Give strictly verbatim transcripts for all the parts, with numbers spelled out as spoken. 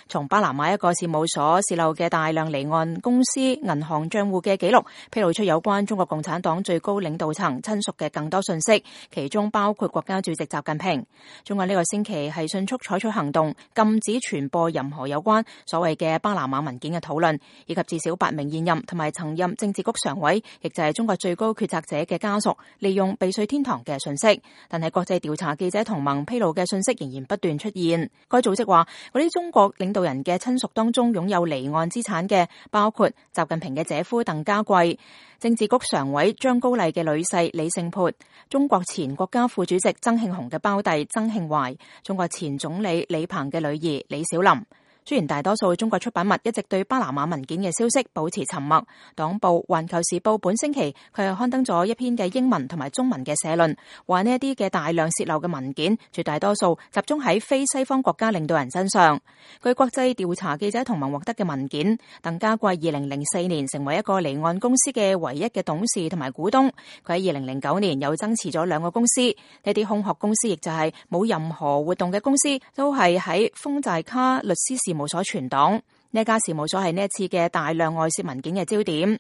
從巴拿馬一個事務所洩漏嘅大量離岸公司銀行賬戶嘅記錄，披露出有關中國共產黨最高領導層親屬嘅更多信息，其中包括國家主席習近平。中國呢個星期係迅速採取行動，禁止傳播任何有關所謂嘅巴拿馬文件嘅討論，以及至少八名現任同埋曾任政治局常委，亦就係中國最高決策者嘅家屬，利用避稅天堂嘅信息。但係國際調查記者同盟披露嘅信息仍然不斷出現。該組織話，嗰啲中國領導人嘅親屬當中擁有離岸資產嘅，包括習近平嘅姐夫鄧家貴、政治局常委張高麗嘅女婿李勝潑、中國前國家副主席曾慶紅嘅胞弟曾慶懷、中國前總理李鵬嘅女兒李小琳。雖然大多數中國出版物一直對巴拿馬文件嘅消息保持沉默，黨報《環球時報》本星期佢又刊登咗一篇嘅英文同埋中文嘅社論，話呢一啲嘅大量洩漏嘅文件，絕大多數集中喺非西方國家領導人身上。據國際調查記者同盟獲得嘅文件，鄧家貴二零零四年成為一個離岸公司嘅唯一嘅董事同埋股東，佢喺二零零九年又增持咗兩個公司，呢啲空殼公司亦就係冇任何活動嘅公司，都係喺豐寨卡律師事務所存檔。呢家事務所係呢一次嘅大量外泄文件嘅焦點。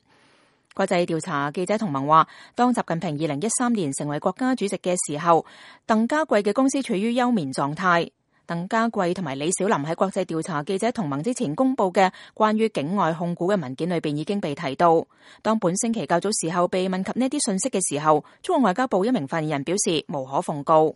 國際調查記者同盟話，當習近平二零一三年成為國家主席嘅時候，鄧家貴嘅公司處於休眠狀態。鄧家貴同埋李小琳喺國際調查記者同盟之前公布嘅關於境外控股嘅文件裏邊已經被提到。當本星期較早時候被問及呢啲信息嘅時候，中國外交部一名發言人表示無可奉告。